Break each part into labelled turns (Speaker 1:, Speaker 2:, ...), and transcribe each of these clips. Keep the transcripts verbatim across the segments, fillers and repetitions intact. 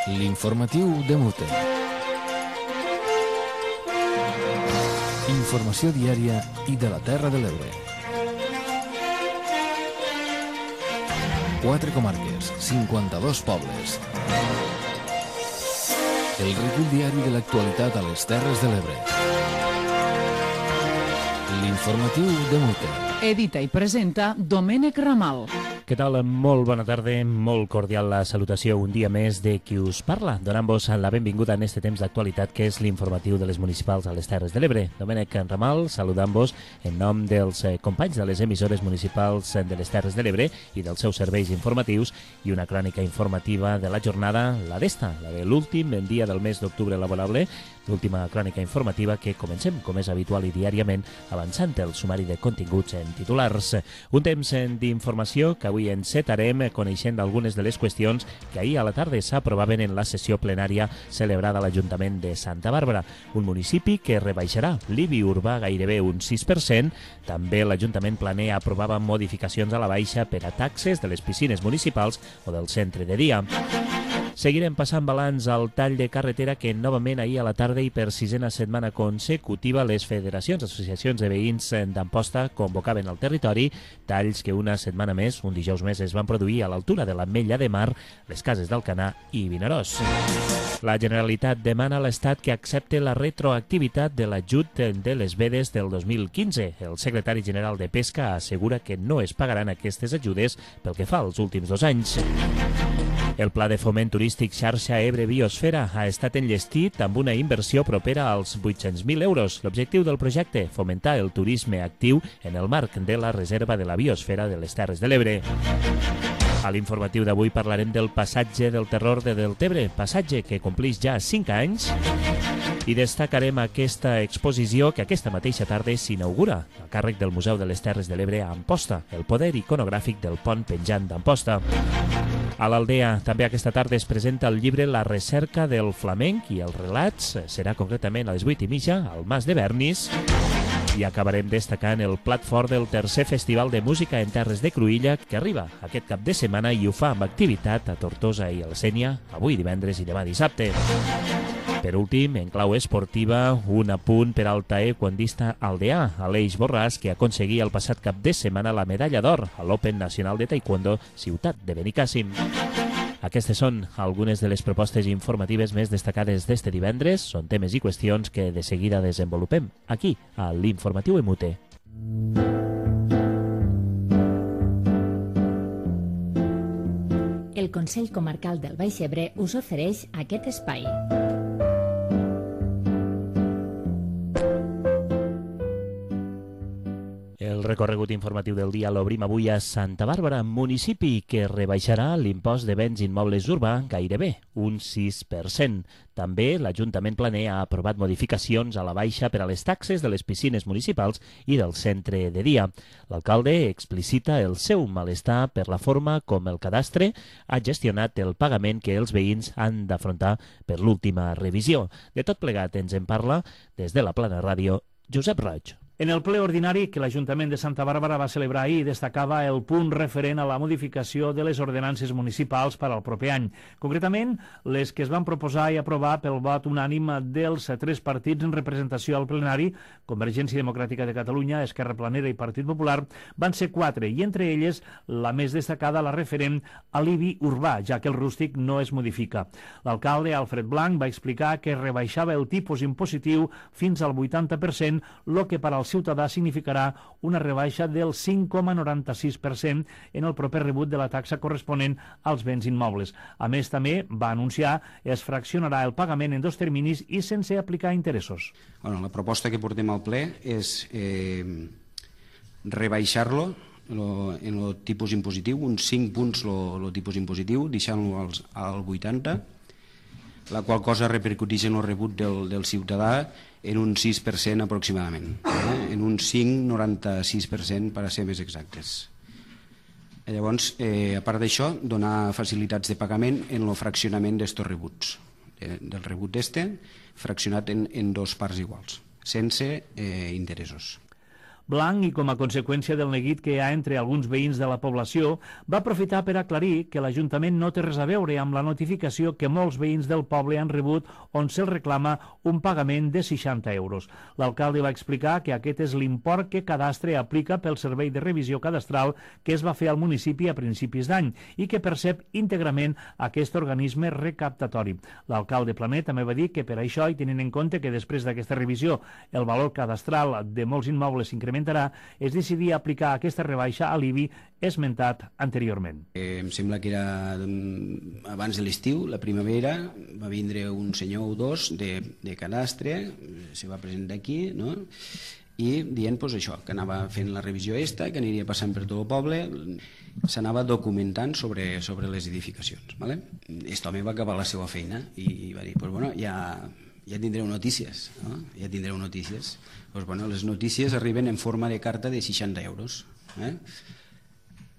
Speaker 1: L'informatiu de Mute. Informació diària i de la Terra de l'Ebre. Quatre comarques, cinquanta-dos pobles. El recull diari de l'actualitat a les Terres de l'Ebre. L'informatiu de Mute.
Speaker 2: Edita i presenta Domènec Ramal.
Speaker 3: Què tal? Molt bona tarda, molt cordial la salutació un dia més de qui us parla, donant-vos la benvinguda en este temps d'actualitat que és l'informatiu de les municipals a les Terres de l'Ebre. Domènec Ramal, saludant-vos en nom dels companys de les emissores municipals de les Terres de l'Ebre i dels seus serveis informatius i una crònica informativa de la jornada, la d'esta, la de l'últim dia del mes d'octubre laborable, l'última crònica informativa que comencem, com és habitual i diàriament, avançant el sumari de continguts en titulars. Un temps d'informació que avui encetarem coneixent algunes de les qüestions que ahir a la tarda s'aprovaven en la sessió plenària celebrada a l'Ajuntament de Santa Bàrbara, un municipi que rebaixarà l'I B I urbà gairebé un sis per cent. També l'Ajuntament planea aprovava modificacions a la baixa per a taxes de les piscines municipals o del centre de dia. Seguirem passant balanç al tall de carretera que novament ahir a la tarda i per sisena setmana consecutiva les federacions, associacions de veïns d'Amposta convocaven al territori, talls que una setmana més, un dijous més, es van produir a l'altura de l'Ametlla de Mar, les Cases d'Alcanar i Vinaròs. La Generalitat demana a l'Estat que accepte la retroactivitat de l'ajut de les vedes del dos mil quinze. El secretari general de Pesca assegura que no es pagaran aquestes ajudes pel que fa als últims dos anys. El Pla de Foment Turístic Xarxa Ebre Biosfera ha estat enllestit amb una inversió propera als vuit-cents mil euros. L'objectiu del projecte, fomentar el turisme actiu en el marc de la Reserva de la Biosfera de les Terres de l'Ebre. A l'informatiu d'avui parlarem del passatge del terror de Deltebre, passatge que complix ja cinc anys, i destacarem aquesta exposició que aquesta mateixa tarda s'inaugura a càrrec del Museu de les Terres de l'Ebre a Amposta, el poder iconogràfic del pont penjant d'Amposta. A l'Aldea també aquesta tarda es presenta el llibre La recerca del flamenc i els relats, serà concretament a les vuit i mitja al Mas de Bernis. I acabarem destacant el plat fort del tercer Festival de Música en Terres de Cruïlla que arriba aquest cap de setmana i ho fa amb activitat a Tortosa i a la Sénia avui divendres i demà dissabte. Per últim, en clau esportiva, un apunt per al taekwondista aldeà, Aleix Borràs, que aconseguia el passat cap de setmana la medalla d'or a l'Open Nacional de Taekwondo Ciutat de Benicàssim. Aquestes són algunes de les propostes informatives més destacades d'este divendres. Són temes i qüestions que de seguida desenvolupem aquí, a l'Informatiu de Mute.
Speaker 4: El Consell Comarcal del Baix Ebre us ofereix aquest espai.
Speaker 3: El recorregut informatiu del dia l'obrim avui a Santa Bàrbara, municipi que rebaixarà l'impost de béns immobles urbà gairebé un sis per cent. També l'Ajuntament planea ha aprovat modificacions a la baixa per a les taxes de les piscines municipals i del centre de dia. L'alcalde explicita el seu malestar per la forma com el cadastre ha gestionat el pagament que els veïns han d'afrontar per l'última revisió. De tot plegat ens en parla des de la Plana Ràdio Josep Roig.
Speaker 5: En el ple ordinari que l'Ajuntament de Santa Bàrbara va celebrar ahir destacava el punt referent a la modificació de les ordenances municipals per al proper any. Concretament, les que es van proposar i aprovar pel vot unànim dels tres partits en representació al plenari, Convergència Democràtica de Catalunya, Esquerra Planera i Partit Popular, van ser quatre, i entre elles la més destacada la referent a l'I B I urbà, ja que el rústic no es modifica. L'alcalde Alfred Blanc va explicar que rebaixava el tipus impositiu fins al vuitanta per cent, lo que per al ciutadà significarà una rebaixa del cinc coma noranta-sis per cent en el proper rebut de la taxa corresponent als béns immobles. A més, també va anunciar es fraccionarà el pagament en dos terminis i sense aplicar interessos.
Speaker 6: Bueno, la proposta que portem al ple és eh, rebaixar-lo en el tipus impositiu, uns cinc punts el tipus impositiu, deixant-lo al vuitanta, la qual cosa repercuteix en el rebut del, del ciutadà en un sis per cent aproximadament, eh? en un cinc coma noranta-sis per cent per a ser més exactes. Llavors, eh, a part d'això, donar facilitats de pagament en el fraccionament d'estos rebuts, eh, del rebut d'este, fraccionat en, en dos parts iguals, sense eh, interessos.
Speaker 5: Blanc, i com a conseqüència del neguit que hi ha entre alguns veïns de la població, va aprofitar per aclarir que l'Ajuntament no té res a veure amb la notificació que molts veïns del poble han rebut on se'ls reclama un pagament de seixanta euros. L'alcalde va explicar que aquest és l'import que Cadastre aplica pel servei de revisió cadastral que es va fer al municipi a principis d'any i que percep íntegrament aquest organisme recaptatori. L'alcalde Planer també va dir que per això, i tenint en compte que després d'aquesta revisió el valor cadastral de molts immobles s'incrementarà, es decidia aplicar aquesta rebaixa a l'I B I esmentat anteriorment.
Speaker 6: Eh, em sembla que era abans de l'estiu, la primavera, va vindre un senyor o dos de, de Cadastre, se va presentar aquí, no?, i dient pues, això, que anava fent la revisió esta, que aniria passant per tot el poble, s'anava documentant sobre, sobre les edificacions. ¿Vale? Aquest home va acabar la seva feina i, i va dir, pues, bueno, ja, ja tindreu notícies, no? ja tindreu notícies. Pues, bueno, les notícies arriben en forma de carta de seixanta euros. Eh?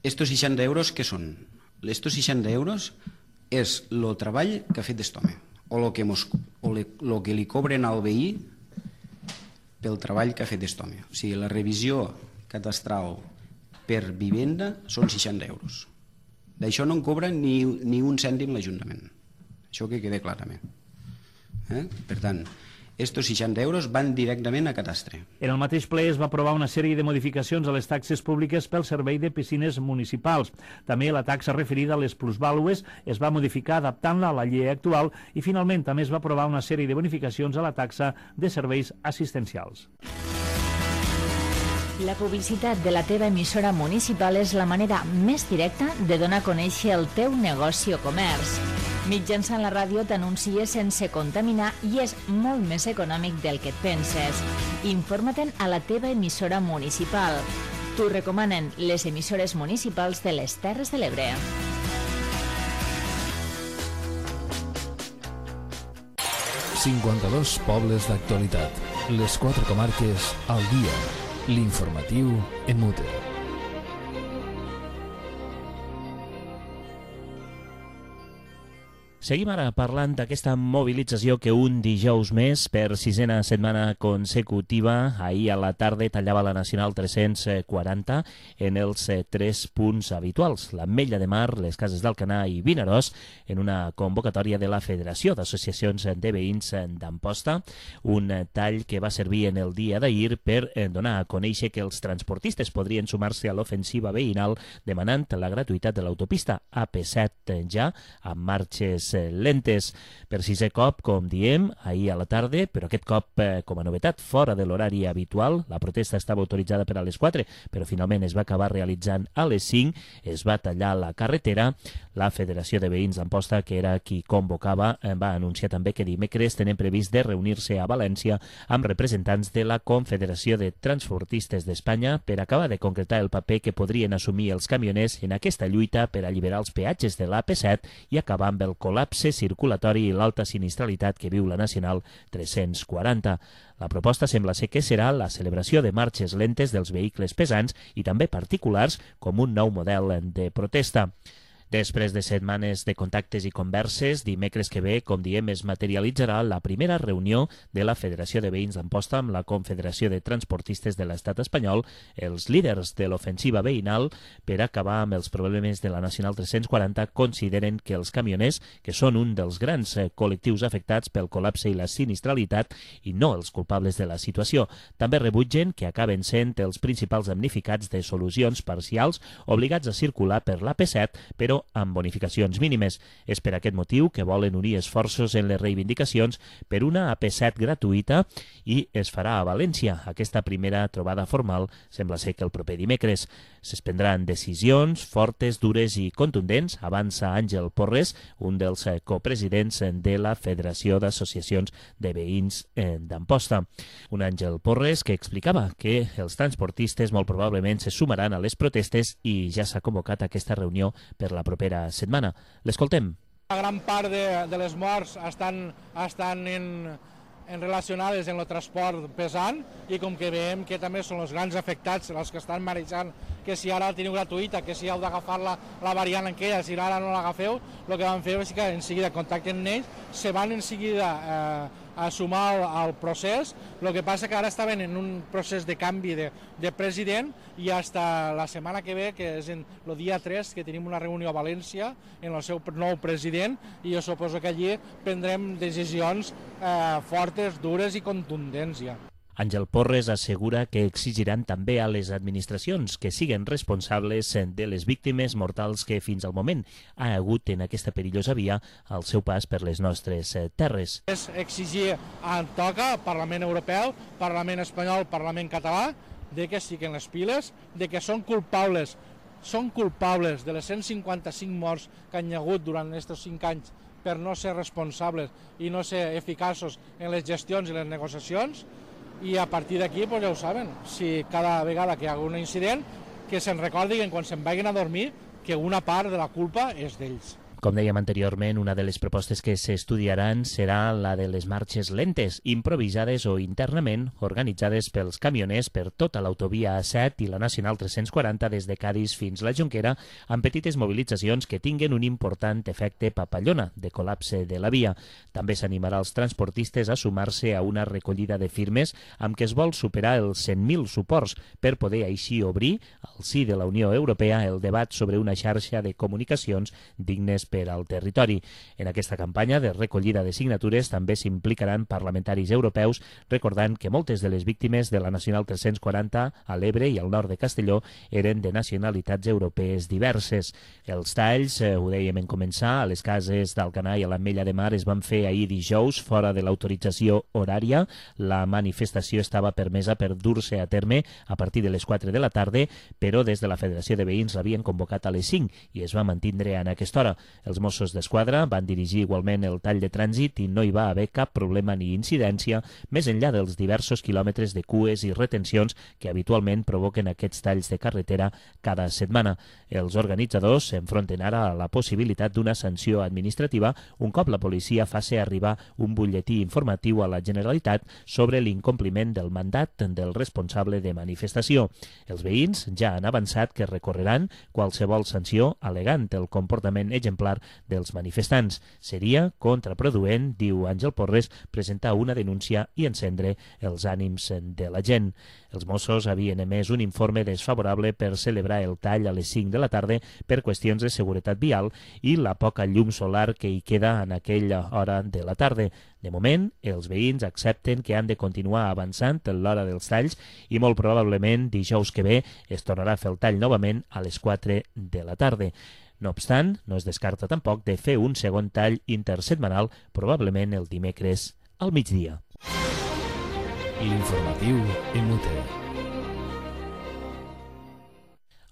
Speaker 6: Estos seixanta euros, què són? Estos seixanta euros és el treball que ha fet aquest home, o el que, mos, o le, lo que li cobren al veí pel treball que ha fet aquest home. O sigui, la revisió catastral per vivenda són seixanta euros. D'això no en cobra ni, ni un cèntim l'Ajuntament. Això que quede clar també. Eh? Per tant, estos seixanta euros van directament a Cadastre.
Speaker 5: En el mateix ple es va aprovar una sèrie de modificacions a les taxes públiques pel servei de piscines municipals. També la taxa referida a les plusvàlues es va modificar adaptant-la a la llei actual i finalment també es va aprovar una sèrie de bonificacions a la taxa de serveis assistencials.
Speaker 4: La publicitat de la teva emissora municipal és la manera més directa de donar a conèixer el teu negoci o comerç. Mitjançant la ràdio t'anuncies sense contaminar i és molt més econòmic del que et penses. Informa-te'n a la teva emissora municipal. T'ho recomanen les emissores municipals de les Terres de l'Ebre.
Speaker 1: cinquanta-dos pobles d'actualitat. Les quatre comarques al dia. L'informatiu Emute.
Speaker 3: Seguim ara parlant d'aquesta mobilització que un dijous més, per sisena setmana consecutiva, ahir a la tarda tallava la Nacional tres-cents quaranta en els tres punts habituals, l'Ametlla de Mar, les Cases d'Alcanar i Vinaròs, en una convocatòria de la Federació d'Associacions de Veïns d'Amposta, un tall que va servir en el dia d'ahir per donar a conèixer que els transportistes podrien sumar-se a l'ofensiva veïnal demanant la gratuïtat de l'autopista A P set ja, amb marxes lentes. Per sisè cop, com diem, ahir a la tarda, però aquest cop, eh, com a novetat, fora de l'horari habitual. La protesta estava autoritzada per a les quatre, però finalment es va acabar realitzant a les cinc, es va tallar la carretera. La Federació de Veïns d'Amposta, que era qui convocava, eh, va anunciar també que dimecres tenen previst de reunir-se a València amb representants de la Confederació de Transportistes d'Espanya per acabar de concretar el paper que podrien assumir els camioners en aquesta lluita per alliberar els peatges de l'A P set i acabar amb el col·lapse circulatori i l'alta sinistralitat que viu la Nacional tres-cents quaranta. La proposta sembla ser que serà la celebració de marxes lentes dels vehicles pesants i també particulars com un nou model de protesta. Després de setmanes de contactes i converses, dimecres que ve, com diem, es materialitzarà la primera reunió de la Federació de Veïns d'Amposta amb la Confederació de Transportistes de l'Estat espanyol, els líders de l'ofensiva veïnal, per acabar amb els problemes de la Nacional tres-cents quaranta, consideren que els camioners, que són un dels grans col·lectius afectats pel col·lapse i la sinistralitat, i no els culpables de la situació, també rebutgen que acaben sent els principals damnificats de solucions parcials obligats a circular per l'A P set, però amb bonificacions mínimes. És per aquest motiu que volen unir esforços en les reivindicacions per una A P set gratuïta i es farà a València. Aquesta primera trobada formal sembla ser que el proper dimecres. Es prendran decisions fortes, dures i contundents, avança Àngel Porres, un dels copresidents de la Federació d'Associacions de Veïns d'Amposta. Un Àngel Porres que explicava que els transportistes molt probablement se sumaran a les protestes i ja s'ha convocat aquesta reunió per la propera setmana. L'escoltem.
Speaker 7: La gran part de, de les morts estan, estan en, en relacionades en el transport pesant i com que veiem que també són els grans afectats els que estan marejant que si ara la teniu gratuïta, que si heu d'agafar la, la variant aquella, si ara no l'agafeu, el que van fer és que en seguida contacten amb ells, se van en seguida eh, a sumar al, al procés. El que passa que ara estaven en un procés de canvi de, de president i fins la setmana que ve, que és en el dia tres, que tenim una reunió a València en el seu nou president, i jo suposo que allí prendrem decisions eh, fortes, dures i contundents ja.
Speaker 3: Àngel Porres assegura que exigiran també a les administracions que siguen responsables de les víctimes mortals que fins al moment ha hagut en aquesta perillosa via al seu pas per les nostres terres.
Speaker 7: És exigir en toca Parlament Europeu, Parlament Espanyol, Parlament Català, de que siguin les piles, de que són culpables, són culpables de les cent cinquanta-cinc morts que han hi hagut durant aquests cinc anys per no ser responsables i no ser eficaços en les gestions i les negociacions. I a partir d'aquí, pues ja ho saben, si cada vegada que hi ha un incident, que se'n recordin quan se'n vagin a dormir que una part de la culpa és d'ells.
Speaker 3: Com dèiem anteriorment, una de les propostes que s'estudiaran serà la de les marxes lentes, improvisades o internament organitzades pels camioners per tota l'autovia A set i la Nacional tres-cents quaranta des de Cadis fins la Jonquera, amb petites mobilitzacions que tinguen un important efecte papallona de col·lapse de la via. També s'animarà els transportistes a sumar-se a una recollida de firmes amb què es vol superar els cent mil suports per poder així obrir, al si de la Unió Europea, el debat sobre una xarxa de comunicacions dignes per al territori. En aquesta campanya de recollida de signatures també s'implicaran parlamentaris europeus, recordant que moltes de les víctimes de la Nacional tres-cents quaranta a l'Ebre i al nord de Castelló eren de nacionalitats europees diverses. Els talls, eh, ho dèiem en començar, a les cases d'Alcanar i a l'Ametlla de Mar es van fer ahir dijous fora de l'autorització horària. La manifestació estava permesa per dur-se a terme a partir de les quatre de la tarda, però des de la Federació de Veïns l'havien convocat a les cinc i es va mantindre en aquesta hora. Els Mossos d'Esquadra van dirigir igualment el tall de trànsit i no hi va haver cap problema ni incidència, més enllà dels diversos quilòmetres de cues i retencions que habitualment provoquen aquests talls de carretera cada setmana. Els organitzadors s'enfronten ara a la possibilitat d'una sanció administrativa un cop la policia faci arribar un butlletí informatiu a la Generalitat sobre l'incompliment del mandat del responsable de manifestació. Els veïns ja han avançat que recorreran qualsevol sanció alegant el comportament exemplar dels manifestants. Seria contraproduent, diu Àngel Porres, presentar una denúncia i encendre els ànims de la gent. Els Mossos havien emès un informe desfavorable per celebrar el tall a les cinc de la tarda per qüestions de seguretat vial i la poca llum solar que hi queda en aquella hora de la tarda. De moment, els veïns accepten que han de continuar avançant en l'hora dels talls i molt probablement dijous que ve es tornarà a fer el tall novament a les quatre de la tarda. No obstant, no es descarta tampoc de fer un segon tall intersetmanal, probablement el dimecres al migdia.
Speaker 1: L'informatiu en U T.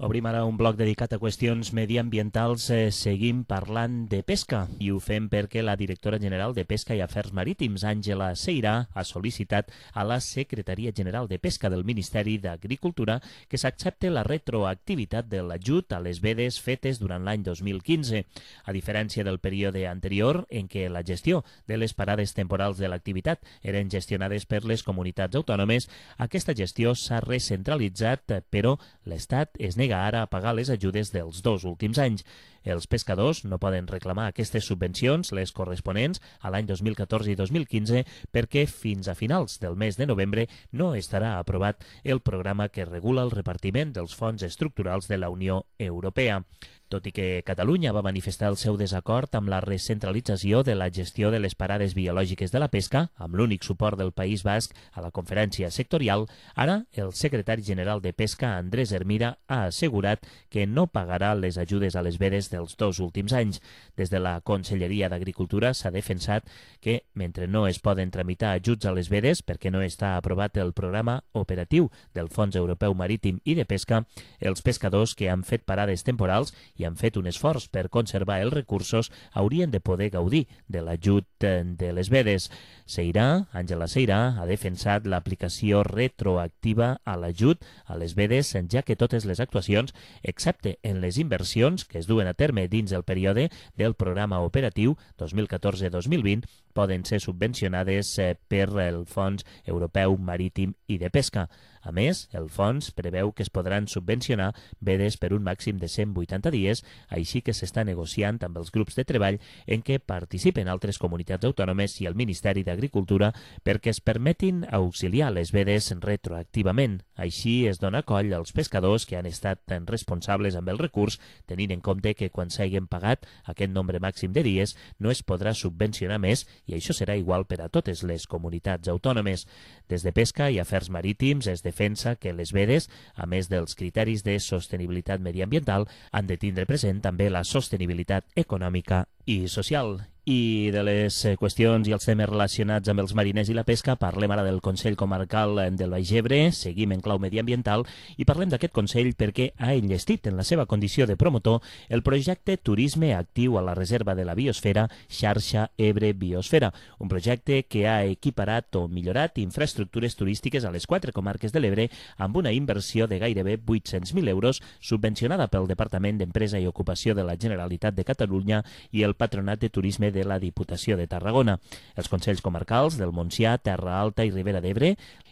Speaker 3: Obrim ara un bloc dedicat a qüestions mediambientals. Eh, seguim parlant de pesca i ho fem perquè la directora general de Pesca i Afers Marítims, Àngela Ceirà, ha sol·licitat a la Secretaria General de Pesca del Ministeri d'Agricultura que s'accepte la retroactivitat de l'ajut a les vedes fetes durant l'any dos mil quinze. A diferència del període anterior, en què la gestió de les parades temporals de l'activitat eren gestionades per les comunitats autònomes, aquesta gestió s'ha recentralitzat, però l'Estat es nega ara a pagar les ajudes dels dos últims anys. Els pescadors no poden reclamar aquestes subvencions, les corresponents a l'any dos mil catorze i dos mil quinze, perquè fins a finals del mes de novembre no estarà aprovat el programa que regula el repartiment dels fons estructurals de la Unió Europea. Tot i que Catalunya va manifestar el seu desacord amb la recentralització de la gestió de les parades biològiques de la pesca, amb l'únic suport del País Basc a la conferència sectorial, ara el secretari general de Pesca, Andrés Hermida, ha assegurat que no pagarà les ajudes a les vedes dels dos últims anys. Des de la Conselleria d'Agricultura s'ha defensat que, mentre no es poden tramitar ajuts a les vedes perquè no està aprovat el programa operatiu del Fons Europeu Marítim i de Pesca, els pescadors que han fet parades temporals i han fet un esforç per conservar els recursos haurien de poder gaudir de l'ajut de les vedes. Ceirà, Àngela Ceirà, ha defensat l'aplicació retroactiva a l'ajut a les vedes, ja que totes les actuacions, excepte en les inversions que es duen a terme dins el període del programa operatiu dos mil catorze dos mil vint, poden ser subvencionades per el Fons Europeu Marítim i de Pesca. A més, el fons preveu que es podran subvencionar vedes per un màxim de cent vuitanta dies, així que s'està negociant amb els grups de treball en què participen altres comunitats autònomes i el Ministeri d'Agricultura perquè es permetin auxiliar les vedes retroactivament. Així es dona coll als pescadors que han estat tan responsables amb el recurs, tenint en compte que quan s'hagin pagat aquest nombre màxim de dies no es podrà subvencionar més i això serà igual per a totes les comunitats autònomes. Des de Pesca i Afers Marítims es defensa que les vedes, a més dels criteris de sostenibilitat mediambiental, han de tindre present també la sostenibilitat econòmica i social. I de les qüestions i els temes relacionats amb els mariners i la pesca parlem ara del Consell Comarcal del Baix Ebre, seguim en clau mediambiental i parlem d'aquest Consell perquè ha enllestit en la seva condició de promotor el projecte Turisme Actiu a la Reserva de la Biosfera Xarxa Ebre Biosfera, un projecte que ha equiparat o millorat infraestructures turístiques a les quatre comarques de l'Ebre amb una inversió de gairebé vuit-cents mil euros subvencionada pel Departament d'Empresa i Ocupació de la Generalitat de Catalunya i el Patronat de Turisme de la Diputació de Tarragona. Els Consells Comarcals del Montsià, Terra Alta i Ribera d'Ebre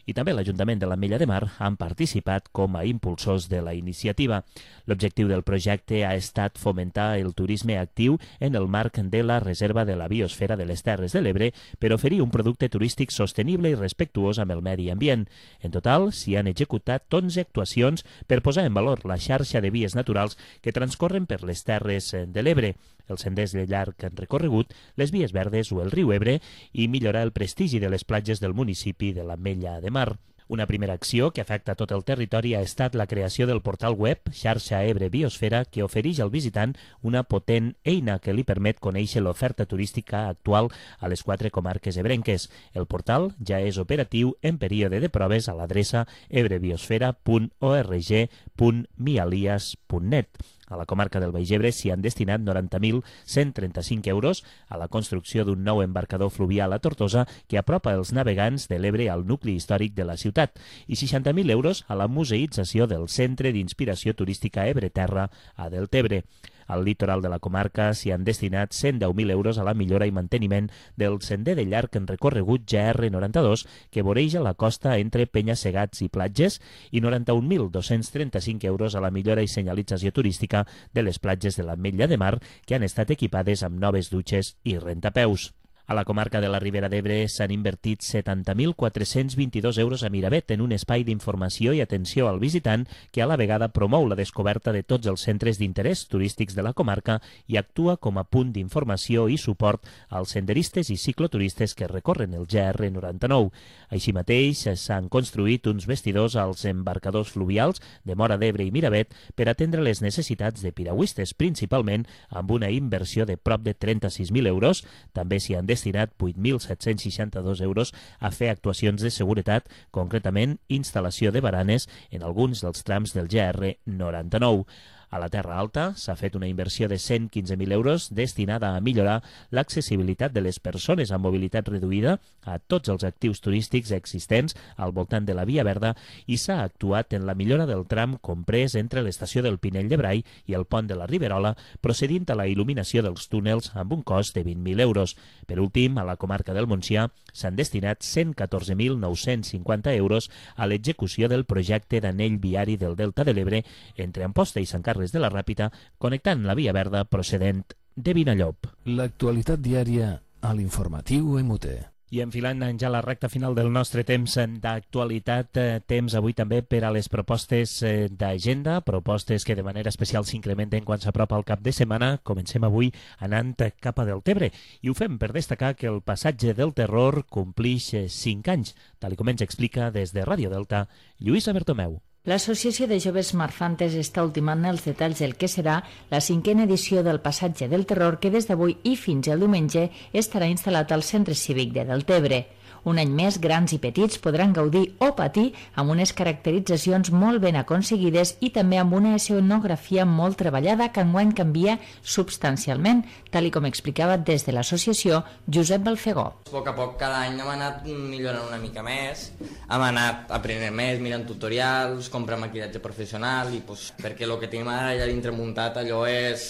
Speaker 3: i també l'Ajuntament de l'Ametlla de Mar han participat com a impulsors de la iniciativa. L'objectiu del projecte ha estat fomentar el turisme actiu en el marc de la Reserva de la Biosfera de les Terres de l'Ebre per oferir un producte turístic sostenible i respectuós amb el medi ambient. En total, s'hi han executat onze actuacions per posar en valor la xarxa de vies naturals que transcorren per les Terres de l'Ebre, els senders de llarg recorregut, les vies verdes o el riu Ebre i millorar el prestigi de les platges del municipi de l'Ametlla de Mar. Una primera acció que afecta tot el territori ha estat la creació del portal web Xarxa Ebre Biosfera que ofereix al visitant una potent eina que li permet conèixer l'oferta turística actual a les quatre comarques ebrenques. El portal ja és operatiu en període de proves a l'adreça ebrebiosfera punt org punt mialias punt net. A la comarca del Baix Ebre s'hi han destinat noranta mil cent trenta-cinc euros a la construcció d'un nou embarcador fluvial a Tortosa que apropa els navegants de l'Ebre al nucli històric de la ciutat i seixanta mil euros a la museïtzació del Centre d'Inspiració Turística Ebre Terra a Deltebre. Al litoral de la comarca s'hi han destinat cent deu mil euros a la millora i manteniment del sender de llarg en recorregut G R noranta-dos que voreja la costa entre Penya-segats i platges i noranta-un mil dos-cents trenta-cinc euros a la millora i senyalització turística de les platges de l'Ametlla de Mar que han estat equipades amb noves dutxes i rentapeus. A la comarca de la Ribera d'Ebre s'han invertit setanta mil quatre-cents vint-i-dos euros a Miravet en un espai d'informació i atenció al visitant que a la vegada promou la descoberta de tots els centres d'interès turístics de la comarca i actua com a punt d'informació i suport als senderistes i cicloturistes que recorren el G R noranta-nou. Així mateix s'han construït uns vestidors als embarcadors fluvials de Móra d'Ebre i Miravet per atendre les necessitats de piragüistes, principalment amb una inversió de prop de trenta-sis mil euros. També s'hi han destinat vuit mil set-cents seixanta-dos euros a fer actuacions de seguretat, concretament instal·lació de baranes en alguns dels trams del G R noranta-nou. A la Terra Alta s'ha fet una inversió de cent quinze mil euros destinada a millorar l'accessibilitat de les persones amb mobilitat reduïda a tots els actius turístics existents al voltant de la Via Verda i s'ha actuat en la millora del tram comprès entre l'estació del Pinell de Brai i el pont de la Riberola, procedint a la il·luminació dels túnels amb un cost de vint mil euros. Per últim, a la comarca del Montsià s'han destinat cent catorze mil nou-cents cinquanta euros a l'execució del projecte d'anell viari del Delta de l'Ebre entre Amposta i Sant Carles de la Ràpita, connectant la Via Verda procedent de Vinallop.
Speaker 1: L'actualitat diària a l'informatiu M U T.
Speaker 3: I enfilant ja la recta final del nostre temps d'actualitat, temps avui també per a les propostes d'agenda, propostes que de manera especial s'incrementen quan s'apropa el cap de setmana. Comencem avui anant cap a Deltebre i ho fem per destacar que el passatge del terror complix cinc anys, tal com ens explica des de Ràdio Delta Lluïsa Bertomeu.
Speaker 4: L'Associació de Joves Marfantes està ultimant els detalls del que serà la cinquena edició del Passatge del Terror que des d'avui i fins al diumenge estarà instal·lat al Centre Cívic de Deltebre. Un any més, grans i petits podran gaudir o patir amb unes caracteritzacions molt ben aconseguides i també amb una escenografia molt treballada que enguany canvia substancialment, tal com explicava des de l'associació Josep Balfegó.
Speaker 8: A poc a poc cada any hem anat millorant una mica més, hem anat aprenent més, mirant tutorials, comprant maquillatge professional i pues, perquè el que tenim ara allà dintre muntat allò és...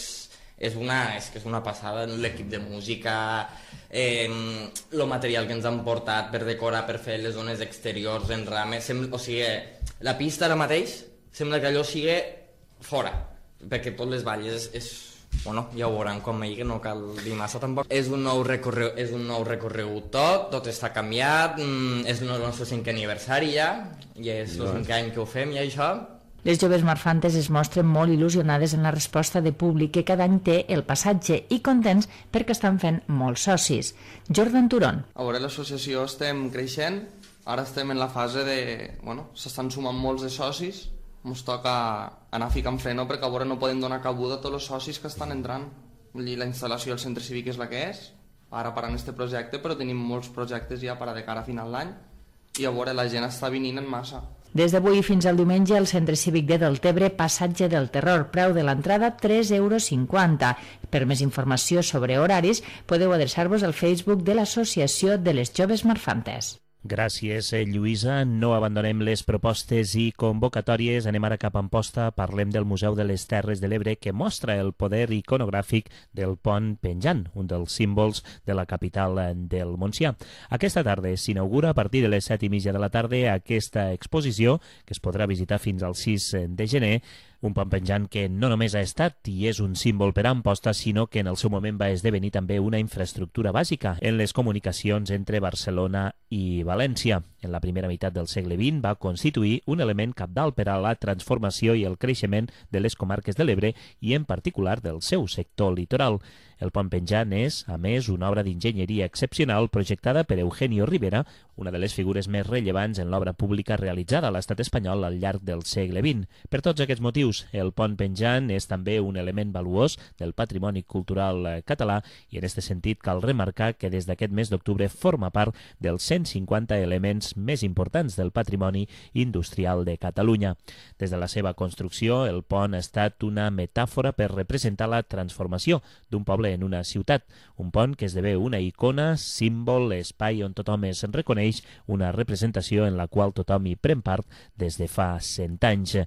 Speaker 8: és una, és que és una passada, l'equip de música, eh, el material que ens han portat per decorar, per fer les zones exteriors en rames, sembla, o sigui, la pista ara mateix sembla que allò sigui fora, perquè tot les valles és, és bueno, ja ho veuran com ahir, que no cal dir massa tampoc. És un nou recorregut, és un nou recorregut tot, tot està canviat, és el nostre cinquè aniversari ja, i és el cinquè any que ho fem i això.
Speaker 4: Les joves marfantes es mostren molt il·lusionades en la resposta de públic que cada any té el passatge i contents perquè estan fent molts socis. Jordan Turón.
Speaker 9: A veure, l'associació estem creixent, ara estem en la fase de... bueno, s'estan sumant molts de socis, ens toca anar ficant freno perquè a veure no podem donar cabuda a tots els socis que estan entrant. Vull dir, la instal·lació al centre cívic és la que és, ara parant este projecte, però tenim molts projectes ja per a de cara a final d'any i a veure, la gent està venint en massa.
Speaker 4: Des d'avui fins al diumenge al Centre Cívic de Deltebre, Passatge del Terror, preu de l'entrada tres euros cinquanta. Per més informació sobre horaris podeu adreçar-vos al Facebook de l'Associació de les Joves Marfantes.
Speaker 3: Gràcies, Lluïsa. No abandonem les propostes i convocatòries. Anem ara cap a Amposta. Parlem del Museu de les Terres de l'Ebre, que mostra el poder iconogràfic del pont penjant, un dels símbols de la capital del Montsià. Aquesta tarda s'inaugura a partir de les set i mitja de la tarda aquesta exposició, que es podrà visitar fins al sis de gener, un pont penjant que no només ha estat i és un símbol per a Amposta, sinó que en el seu moment va esdevenir també una infraestructura bàsica en les comunicacions entre Barcelona i València. En la primera meitat del segle vint va constituir un element cabdal per a la transformació i el creixement de les comarques de l'Ebre i en particular del seu sector litoral. El pont penjant és, a més, una obra d'enginyeria excepcional projectada per Eugenio Rivera, una de les figures més rellevants en l'obra pública realitzada a l'estat espanyol al llarg del segle vint. Per tots aquests motius, el pont penjant és també un element valuós del patrimoni cultural català i en aquest sentit cal remarcar que des d'aquest mes d'octubre forma part dels cent cinquanta elements més importants del patrimoni industrial de Catalunya. Des de la seva construcció, el pont ha estat una metàfora per representar la transformació d'un poble en una ciutat, un pont que esdevé una icona, símbol, espai on tothom es reconeix, una representació en la qual tothom hi pren part des de fa cent anys.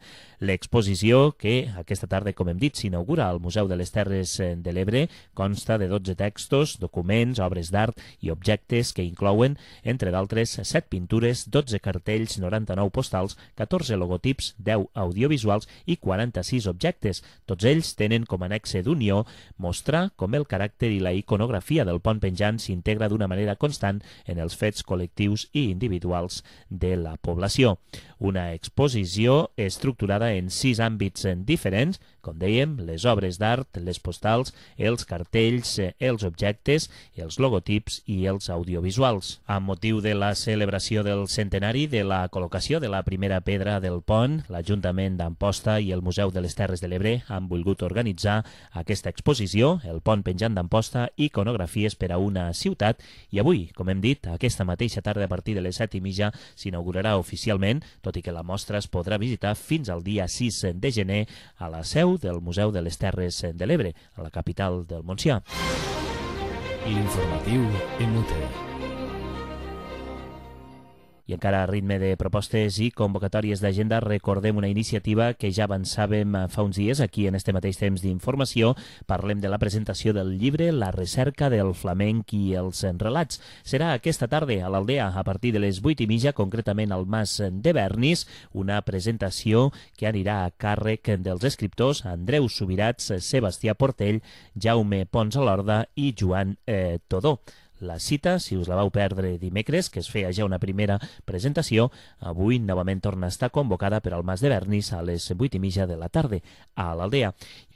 Speaker 3: L'exposició, que aquesta tarda, com hem dit, s'inaugura al Museu de les Terres de l'Ebre, consta de dotze textos, documents, obres d'art i objectes que inclouen, entre d'altres, set pintures, dotze cartells, noranta-nou postals, catorze logotips, deu audiovisuals i quaranta-sis objectes. Tots ells tenen com a nexe d'unió mostrar com el caràcter i la iconografia del pont penjant s'integra d'una manera constant en els fets col·lectius i individuals de la població. Una exposició estructurada en sis àmbits diferents, com dèiem, les obres d'art, les postals, els cartells, els objectes, els logotips i els audiovisuals. Amb motiu de la celebració del centenari de la col·locació de la primera pedra del pont, l'Ajuntament d'Amposta i el Museu de les Terres de l'Ebre han volgut organitzar aquesta exposició, el pont penjant d'Amposta, iconografies per a una ciutat, i avui, com hem dit, aquesta mateixa tarda a partir de les set i mitja s'inaugurarà oficialment, tot i que la mostra es podrà visitar fins al dia sis de gener a la seu del Museu de les Terres de l'Ebre, a la capital del Montsià.
Speaker 1: L'informatiu en Mute.
Speaker 3: I encara a ritme de propostes i convocatòries d'agenda recordem una iniciativa que ja avançàvem fa uns dies aquí en este mateix temps d'informació. Parlem de la presentació del llibre La recerca del flamenc i els relats. Serà aquesta tarda a l'Aldea a partir de les vuit i mitja, concretament al Mas de Bernis, una presentació que anirà a càrrec dels escriptors Andreu Subirats, Sebastià Portell, Jaume Pons Alorda i Joan eh, Todó. La cita, si us la vau perdre dimecres, que es feia ja una primera presentació, avui novament torna a estar convocada per al Mas de Bernis a les vuit i mitja de la tarda a l'Aldea.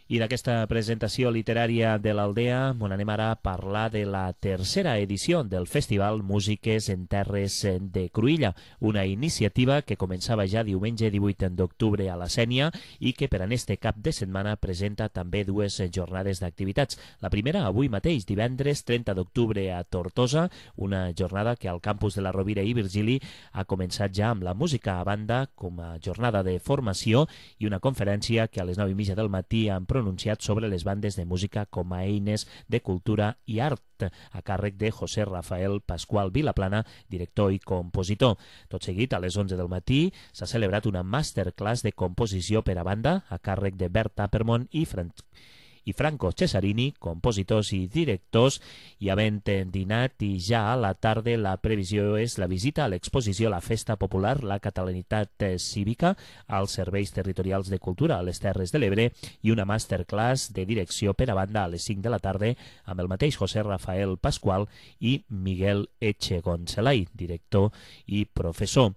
Speaker 3: I d'aquesta presentació literària de l'Aldea on anem ara a parlar de la tercera edició del Festival Músiques en Terres de Cruïlla, una iniciativa que començava ja diumenge divuit d'octubre a la Sénia i que per a este cap de setmana presenta també dues jornades d'activitats. La primera avui mateix, divendres trenta d'octubre a Tortosa, una jornada que al campus de la Rovira i Virgili ha començat ja amb la música a banda com a jornada de formació i una conferència que a les nou i mitja del matí han pronunciat sobre les bandes de música com a eines de cultura i art, a càrrec de José Rafael Pascual Vilaplana, director i compositor. Tot seguit, a les onze del matí, s'ha celebrat una masterclass de composició per a banda, a càrrec de Bert Tappermont i, Fran... i Franco Cesarini, compositors i directors, i havent dinat i ja a la tarda la previsió és la visita a l'exposició La Festa Popular, la Catalanitat Cívica, als serveis territorials de cultura a les Terres de l'Ebre i una masterclass de direcció per a banda a les cinc de la tarda amb el mateix José Rafael Pascual i Miguel Echegoncelay, director i professor.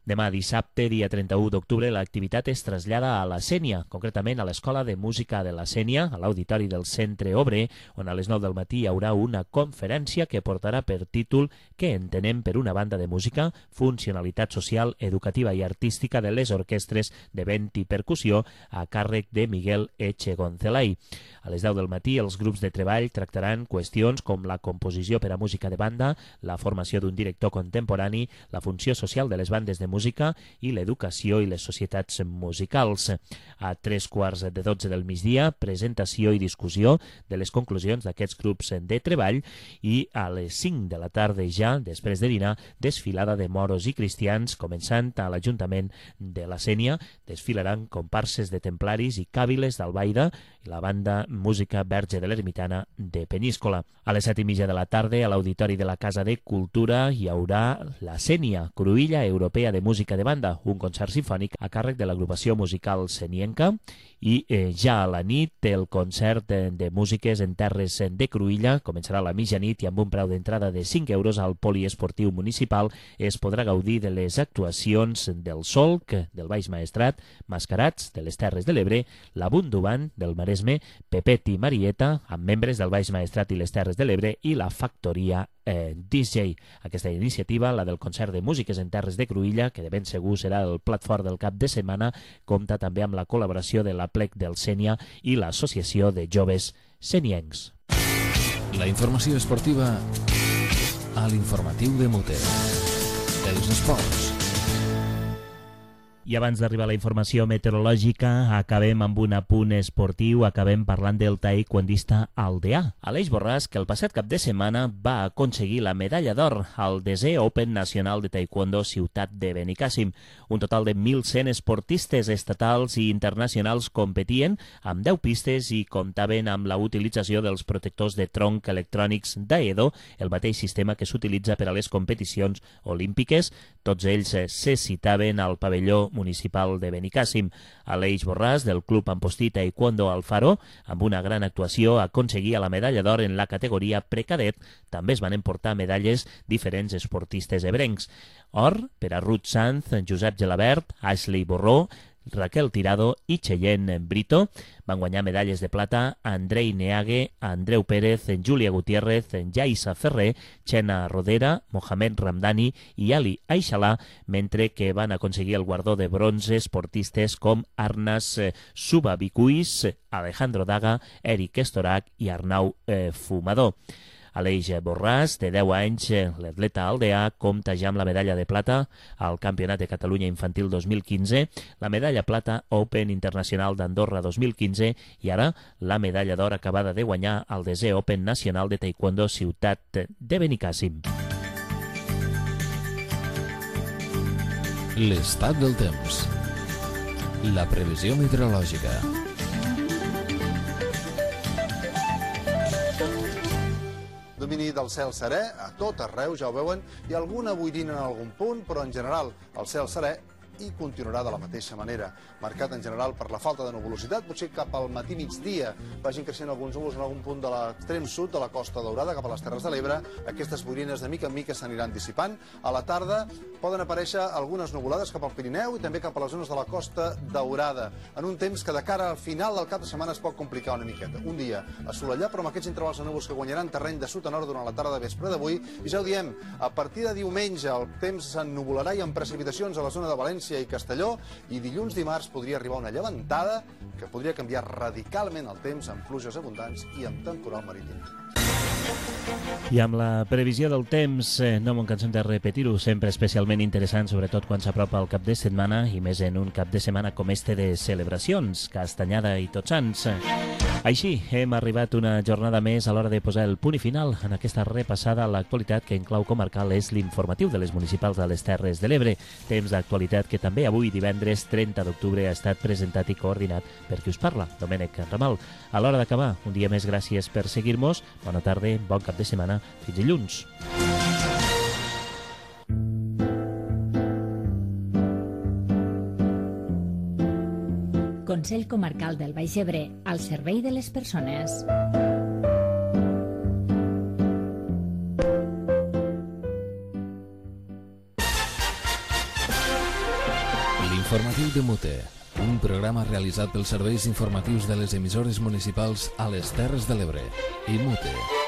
Speaker 3: Demà dissabte, dia trenta-u d'octubre, l'activitat es trasllada a la Sénia, concretament a l'Escola de Música de la Sénia, a l'auditori del Centre Obrer, on a les nou del matí hi haurà una conferència que portarà per títol Què entenem per una banda de música? Funcionalitat social, educativa i artística de les orquestres de vent i percussió, a càrrec de Miguel Echegoncelay. A les deu del matí, els grups de treball tractaran qüestions com la composició per a música de banda, la formació d'un director contemporani, la funció social de les bandes de música música i l'educació i les societats musicals. A tres quarts de dotze del migdia, presentació i discussió de les conclusions d'aquests grups de treball i a les cinc de la tarda ja, després de dinar, desfilada de moros i cristians, començant a l'Ajuntament de la Sénia. Desfilaran comparses de templaris i càviles d'Albaida i la banda Música Verge de l'Ermitana de Peníscola. A les set i mitja de la tarda, a l'Auditori de la Casa de Cultura, hi haurà la Sénia, Cruïlla Europea de Música de Banda, un concert simfònic a càrrec de l'agrupació musical senienca, i eh, ja a la nit el concert de, de músiques en terres de Cruïlla començarà a la mitjanit i amb un preu d'entrada de cinc euros al poliesportiu municipal es podrà gaudir de les actuacions del Solc, del Baix Maestrat, Mascarats, de les Terres de l'Ebre, la Bunduban, del Maresme, Pepet i Marieta, amb membres del Baix Maestrat i les Terres de l'Ebre, i la Factoria eh, D J. Aquesta iniciativa, la del concert de músiques en terres de Cruïlla, que de ben segur serà el plat fort del cap de setmana, compta també amb la col·laboració de la Plec del Sénia i l'Associació de Joves Seniencs.
Speaker 1: La informació esportiva a l'informatiu de Muter. Els esports.
Speaker 3: I abans d'arribar a la informació meteorològica, acabem amb un apunt esportiu, acabem parlant del taekwondista Aldeà, Aleix Borràs, que el passat cap de setmana va aconseguir la medalla d'or al desè Open Nacional de Taekwondo Ciutat de Benicàssim. Un total de mil cent esportistes estatals i internacionals competien amb deu pistes i comptaven amb la utilització dels protectors de tronc electrònics d'Aedo, el mateix sistema que s'utilitza per a les competicions olímpiques. Tots ells se citaven al pavelló municipal de Benicàssim. Aleix Borràs, del Club Ampostí Taekwondo Alfaro, amb una gran actuació, aconseguia la medalla d'or en la categoria precadet. També es van emportar medalles diferents esportistes ebrencs. Or per a Ruth Sanz, Josep Gelabert, Ashley Borró, Raquel Tirado i Cheyenne Brito. Van guanyar medalles de plata Andrei Neague, Andreu Pérez, Júlia Gutiérrez, Jaisa Ferrer, Xena Rodera, Mohamed Ramdani i Ali Aixalà, mentre que van aconseguir el guardó de bronze esportistes com Arnas Subabicuis, Alejandro Daga, Eric Estorac i Arnau eh, Fumador. Aleix Borràs, de deu anys, l'atleta aldeà, compta ja amb la medalla de plata al Campionat de Catalunya Infantil dos mil quinze, la medalla plata Open Internacional d'Andorra dos mil quinze i ara la medalla d'or acabada de guanyar al desè Open Nacional de Taekwondo Ciutat de Benicàssim.
Speaker 1: L'estat del temps. La previsió meteorològica.
Speaker 10: Domini del cel serè, a tot arreu, ja ho veuen, i alguna boirina en algun punt, però en general el cel serè i continuarà de la mateixa manera, marcat en general per la falta de nuvolositat. Potser cap al matí migdia vagin creixent alguns núvols en algun punt de l'extrem sud de la Costa Daurada cap a les Terres de l'Ebre. Aquestes boirines de mica en mica s'aniran dissipant. A la tarda poden aparèixer algunes nuvolades cap al Pirineu i també cap a les zones de la Costa Daurada, en un temps que de cara al final del cap de setmana es pot complicar una miqueta. Un dia assolellat, però amb aquests intervals de núvols que guanyaran terreny de sud a nord durant la tarda de vespre d'avui. I ja ho diem, a partir de diumenge el temps s'ennuvolarà i amb precipitacions a la zona de València i Castelló, i dilluns dimarts podria arribar una llevantada que podria canviar radicalment el temps amb pluges abundants i amb temporal marítim.
Speaker 3: I amb la previsió del temps, eh, no me'n cansem de repetir-ho, sempre especialment interessant, sobretot quan s'apropa el cap de setmana, i més en un cap de setmana com este de celebracions, Castanyada i Tots Sants. Així, hem arribat una jornada més a l'hora de posar el punt i final en aquesta repassada a l'actualitat que en clau comarcal és l'informatiu de les municipals de les Terres de l'Ebre. Temps d'actualitat que també avui, divendres trenta d'octubre, ha estat presentat i coordinat per qui us parla, Domènec Ramal. A l'hora d'acabar, un dia més, gràcies per seguir-nos. Bona tarda, bon cap de setmana. Fins dilluns.
Speaker 4: Consell Comarcal del Baix Ebre, al servei de les persones.
Speaker 1: L'informatiu de Mute, un programa realitzat pels serveis informatius de les emissores municipals a les Terres de l'Ebre i Mute.